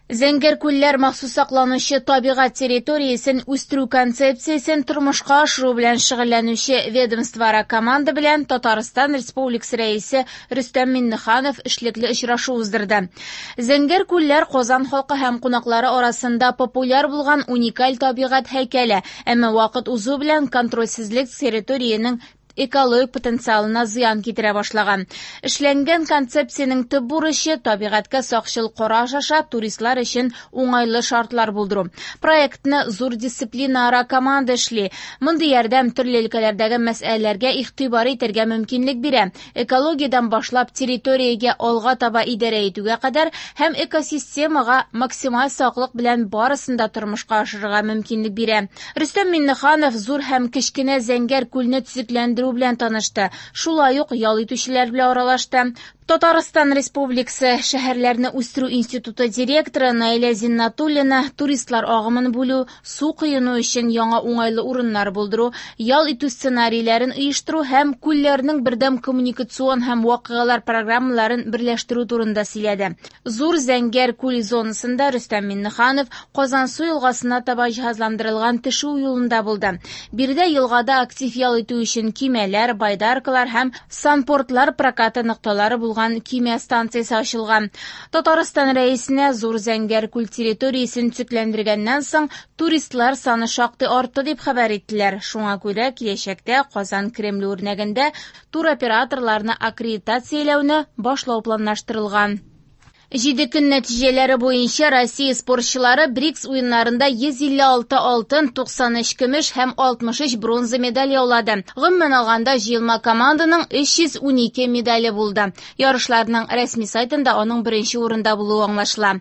Зәңгәр күлләр махсус сакланучы табигать территориясен үстерү концепциясен тормышка ашыру белән шөгыльләнүче ведомствоара команда белән Татарстан Республикасы Рәисе Рөстәм Миңнеханов эшлекле очрашу уздырды. Зәңгәр күлләр Казан халкы һәм кунаклары арасында популяр булган уникаль табигать һәйкәле, әмма вакыт узу белән контрольсезлек территориянең экологик потенциалына зыян китерә башлаган. Эшләнгән концепциянең төп бурычы табигатькә сакчыл караш аша туристлар өчен уңайлы шартлар булдыру. Проектны зур дисциплинаара команда эшли. Мондый ярдәм төрле өлкәләрдәге мәсьәләләргә игътибар итәргә мөмкинлек бирә. Экологиядән башлап территориягә алга таба идарә итүгә кадәр һәм экосистемага максималь саклык белән барысын да тормышка ашырырга мөмкинлек бирә. Рөстәм Миңнеханов зур һәм кечкенә Зәңгәр күлне төзекләндерү белән танышты. Шулай ук ял итүчеләр белән аралашты. Татарстан Республикасы шәһәрләрне үстерү институты директоры Наилә Зиннатуллина туристлар агымын бүлү, су коену өчен яңа уңайлы урыннар булдыру, ял итү сценарийләрен оештыру һәм күлләрнең бердәм коммуникацион һәм вакыйгалар программаларын берләштерү турында сөйләде. Зур Зәңгәр күл зонасында Рөстәм Миңнеханов Казансу елгасына таба җиһазландырылган төшү юлында булды. Биредә елгада актив ял итү өчен көймәләр, байдаркалар һәм санпортлар прокаты нокталары булган көймә станциясе ачылган. Татарстан Рәисенә Зур Зәңгәр күл территориясен төзекләндергәннән соң туристлар саны шактый артты дип хәбәр иттеләр. Шуңа күрә киләчәктә Казан Кремле үрнәгендә туроператорларны аккредитацияләүне башлау планлаштырылган. Җиде көн нәтиҗәләре буенча Россия спортчылары БРИКС уеннарында 156 алтын, 93 көмеш һәм 63 бронза медаль яулады. Гомумән алганда, җыелма команданың 312 медале булды. Ярышларның рәсми сайтында аның беренче урында булуы аңлашыла.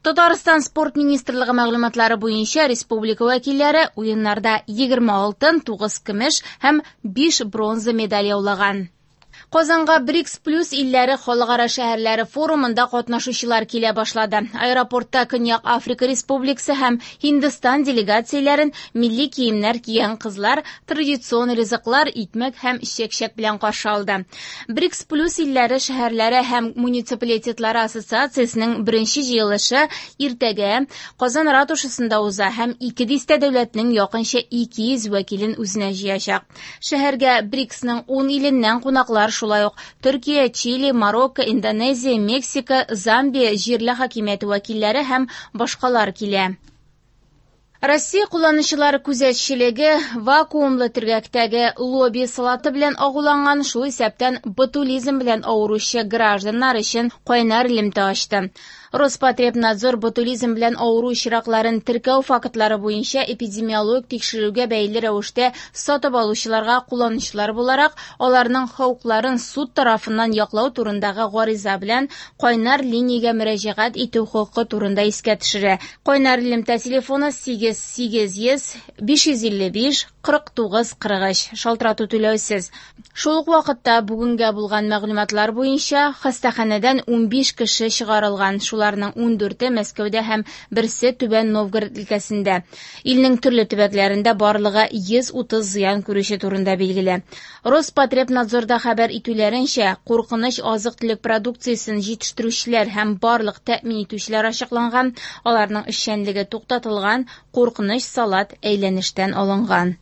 Татарстан спорт министрлыгы мәгълүматлары буенча республика вәкилләре уеннарда 20 алтын, 9 көмеш һәм 5 бронза медаль яулаган. Казанга БРИКС плюс илләре халыкара шәһәрләре форумында катнашучылар килә башлады. Аэропортта Көньяк Африка Республикасы һәм Һиндстан делегацияләрен милли киемнәр кигән кызлар традицион ризыклар, икмәк һәм чәк-чәк белән каршы алды. БРИКС плюс илләре шәһәрләре һәм муниципалитетлары ассоциациясенең беренче җыелышы иртәгә Казан ратушасында уза һәм ике дистә дәүләтнең якынча 200 вәкилен үзенә җыячак. Шәһәргә БРИКСның 10 иленнән кунаклар, шулай ук Төркия, Чили, Марокко, Индонезия, Мексика, Замбия җирле хакимияте вәкилләре һәм башкалар килә. Россия кулланучылар күзәтчелеге вакуумлы төргәктәге лоби салаты белән агуланган, шул исәптән ботулизм белән авыручы гражданнар өчен кайнар элемтә ачты. Роспотребнадзор ботулизм белән авыру очракларын теркәү фактлары буенча эпидемиологик тикшерүгә бәйле рәвештә сатып алучыларга кулланучылар буларак аларның хокукларын суд тарафыннан яклау турындагы гариза белән кайнар линиягә мөрәҗәгать итү хокукы турында искә төшерә. Кайнар элемтә телефоны 8 800 555 49 43. Шалтырату түләүсез. Шул ук вакытта бүгенгә булган мәгълүматлар буенча хастаханәдән 15 кеше чыгарылган. Шуларның 14-е Мәскәүдә һәм берсе Түбән Новгород өлкәсендә. Илнең төрле төбәкләрендә барлыгы 130 зыян күрүче турында билгеле. Роспотребнадзорда хәбәр итүләренчә, куркыныч азык-төлек продукциясен җитештерүчеләр һәм барлык тәэмин итүчеләр ачыкланган, аларның эшчәнлеге туктатылган, куркыныч салат әйләнештән алынган.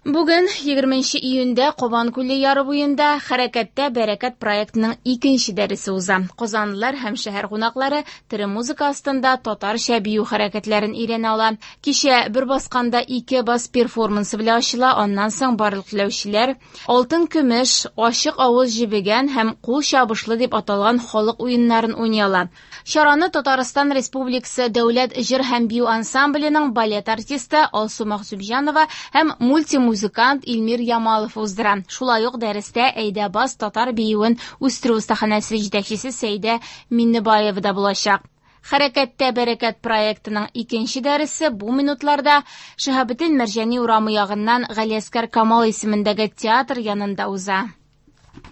Бүген 20 июньдә Кабан күле яры буенда Хәрәкәттә бәрәкәт проектының икенче дәресе уза. Казанлылар һәм шәһәр кунаклары тере музыка астында татарча бию хәрәкәтләрен өйрәнә ала. Кичә бер басканда ике бас перформансы белән ачыла, аннан соң барлык теләүчеләр алтын көмеш, ачык авыз җебегән һәм кул чабышлы дип аталган халык уеннарын уйный ала. Чараны Татарстан Республикасы Дәүләт җыр һәм бию ансамбленең балет артисты Алсу Мәхсүмҗанова һәм мультимузыкант Илмир Ямалов уздыра. Шулай ук дәрестә Әйдә бас татар биюен үстерү остаханәсе җитәкчесе Сәйдә Миннебаева да булачак. Хәрәкәттә бәрәкәт проектының икенче дәресе бу минутларда Шиһабетдин Мәрҗани урамы ягыннан Галиәскәр Камал исемендәге театр янында уза.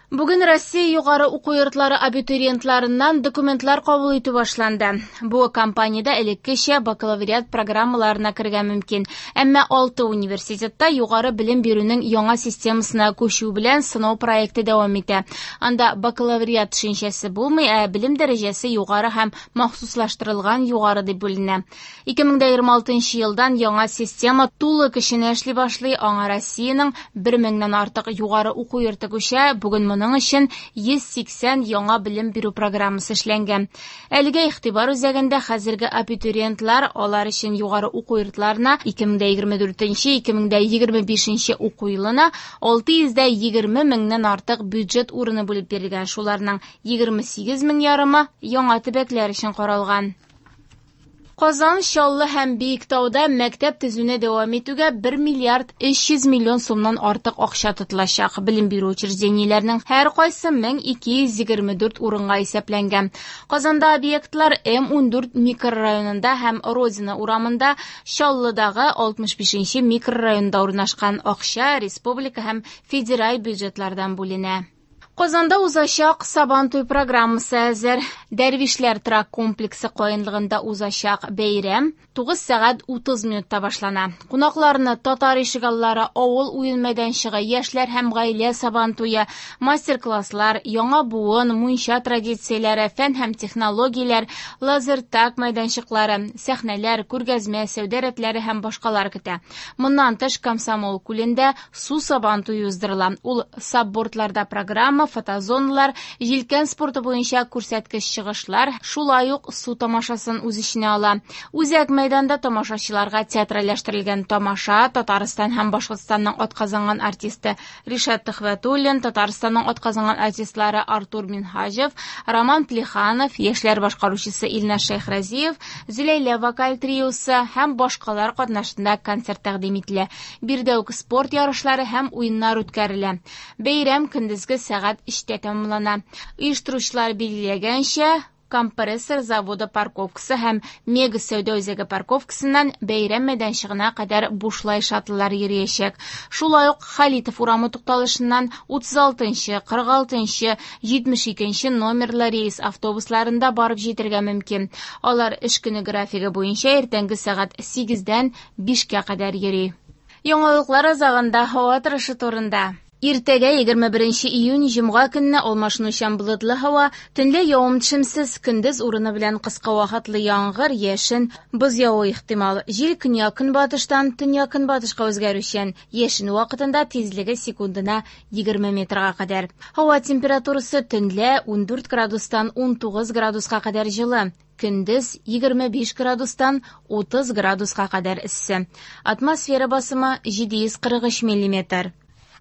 Бүген Россия югары уку йортлары абитуриентларыннан документлар кабул итү башланды. Бу кампаниядә элеккечә бакалавриат программаларына керергә мөмкин. Әмма 6 университетта югары белем бирүнең яңа системасына күчү белән сынау проекты дәвам итә. Анда бакалавриат төшенчәсе булмый, ә белем дәрәҗәсе югары һәм махсуслаштырылган югары дип бүленә. 2026 елдан яңа система тулы көченә эшли башлый. Аңа Россиянең 1000-нән артык югары уку йорты күчә. Бүген моның өчен 180 яңа белем бирү программасы эшләнгән. Әлегә игътибар үзәгендә хәзерге абитуриентлар, алар өчен югары уку йортларына 2024-2025 уку елына 620 меңнән артык бюджет урыны бүлеп бирелгән. Шуларның 28 мең ярымы яңа төбәкләр өчен каралган. Казан, Чаллы һәм Биектауда мәктәп төзүне дәвам итүгә 1 миллиард 300 миллион сумнан артык акча тотылачак. Белем бирү учреждениеләренең һәркайсы 1224 урынга исәпләнгән. Казанда объектлар М14 микрорайонында һәм Родина урамында, Чаллыдагы 65 микрорайонда урнашкан. Акча республика һәм федераль бюджетлардан бүленә. Казанда узачак Сабантуй программасы әзер. Дәрвишләр торак комплексы каенлыгында узачак бәйрәм 9 сәгать 30 минутта башлана. Кунакларны татар ишегаллары, авыл уен мәйданчыгы, яшьләр һәм гаилә Сабантуе, мастер-класслар, яңа буын, мунча традицияләре, фән һәм технологияләр, лазертаг мәйданчыклары, сәхнәләр, күргәзмә, сәүдә рәтләре һәм башкалар көтә. Моннан тыш Комсомол күлендә су Сабантуе уздырыла. Ул саббордларда программа, фотозоналар, җилкән спорты буенча күрсәткеч чыгышлар, шулай ук су тамашасын үз эченә ала. Үзәк мәйданда тамашачыларга театральләштерелгән тамаша Татарстан һәм Башкортстанның атказанган артисты Ришат Төхвәтуллин, Татарстанның атказанган артистлары Артур Минһаҗев, Роман Плеханов, яшьләр башкаручысы Илназ Шәйхразиев, Зөләйлә вокаль триосы һәм башкалар катнашында концерт тәкъдим ителә. Биредә үк спорт ярышлары һәм уеннар үткәрелә. Бәйрәм көндезге сәгать 3-тә тәмамлана. Оештыручылар билгеләгәнчә, компрессор заводы парковкасы һәм Мега сәүдә үзәге парковкасыннан бәйрәм мәйданчыгына кадәр бушлай шаттлар йөриячәк. Шулай ук Халитов урамы тукталышыннан 36-нчы, 46-нчы, 72-нче номерлы рейс автобусларында барып җитәргә мөмкин. Алар эш көне графигы буенча иртәнге сәгать 8-дән 5-кә кадәр йөри. Яңалыклар азагында һава торышы турында. Иртәгә 21 июнь җомга көнне алмашынучан болытлы һава, төнлә явым-төшемсез, көндез урыны белән кыска вакытлы яңгыр, яшен, боз явуы ихтимал. Җил көньяк-көнбатыштан төньяк-көнбатышка үзгәрүчән, яшен вакытында тизлеге секундына 20 метрга кадәр. Һава температурасы төнлә 14 градустан 19 градуска кадәр җылы. Көндез 25 градустан 30 градуска кадәр эссе. Атмосфера басымы 743 миллиметр.